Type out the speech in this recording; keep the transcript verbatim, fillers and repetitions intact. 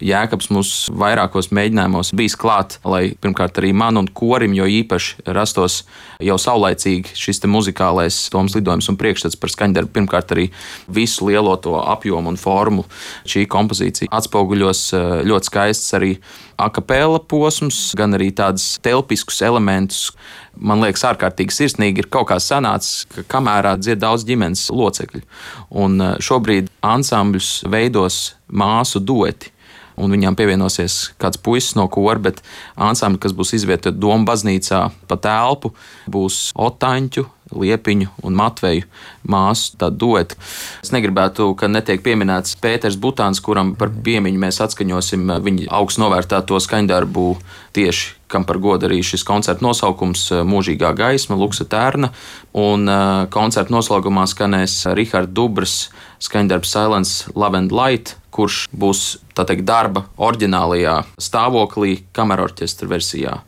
Jēkabs mūs vairākos mēģinājumos bijis klāt, lai pirmkārt arī man un korim jo īpaši rastos jau saulaicīgi šis te muzikālais domas lidojums un priekšstats par skaņdarbu. Pirmkārt arī visu lielo to apjomu un formu. Šī kompozīcija atspoguļos ļoti skaists arī akapela posms, gan arī tādus telpiskus elementus. Man liekas, ārkārtīgi sirsnīgi ir kaut kā sanācis, ka kamērā dzied daudz ģimenes locekļu. Un šobrīd ansambļus veidos māsu dueti. Un viņām pievienosies kāds puisis no kora, bet ansambļi, kas būs izvietoti Doma baznīcā pa telpu, būs Otaņķu, Liepiņu un Matveju māsu tādu duetu. Es negribētu, ka netiek pieminēts Pēters Butāns, kuram par piemiņu mēs atskaņosim viņa augstu novērtēto skaņdarbu tieši, kam par godu arī šis koncerta nosaukums Mūžīgā gaisma, Luksa Tērna. Un koncerta noslēgumā skanēs Riharda Dubras skaņdarbs Silence, Love and Light, kurš būs tā teikt darba oriģinālajā stāvoklī kamerorķestra versijā.